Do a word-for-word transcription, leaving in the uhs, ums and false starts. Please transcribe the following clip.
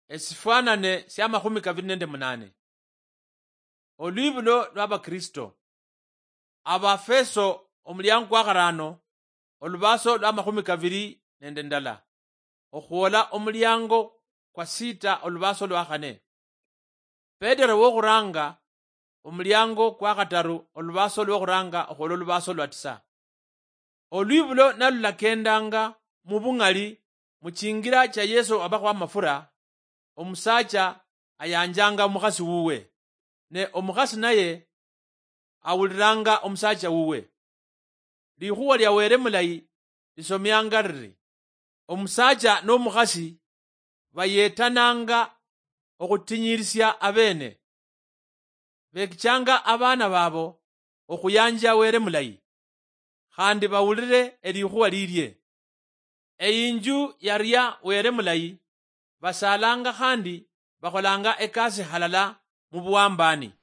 Esifwanane sia makhumi kavili nende munane. Olwibulo lwa Bakristo. Abafeso omuliango kwa kharano, olubaso lwa makhumi kavili nende ndala, okhwola omuliango kwa sita, olubaso lwa khane. Petero wokhuranga, omuliango kwa khataru, olubaso lwokhuranga okhwola olubaso lwa tisa. Olwibulo nalulakendanga mubung'ali muchingira cha Yesu abakhwa amafura, omusacha ayanjanga omukhasi wuwe, ne omukhasi naye awuliranga omusacha wuwe. Likhuwa lia Wele mulayi lisomianga liri, omusacha nomukhasi bayetananga okhutinyirisia abene. Bekichanga abana babo okhuyanja Wele mulayi, khandi bawulire elikhuwa lilie. Eyinju yaria Wele mulayi, basalanga khandi bakholanga ekasi halala mubuwambani.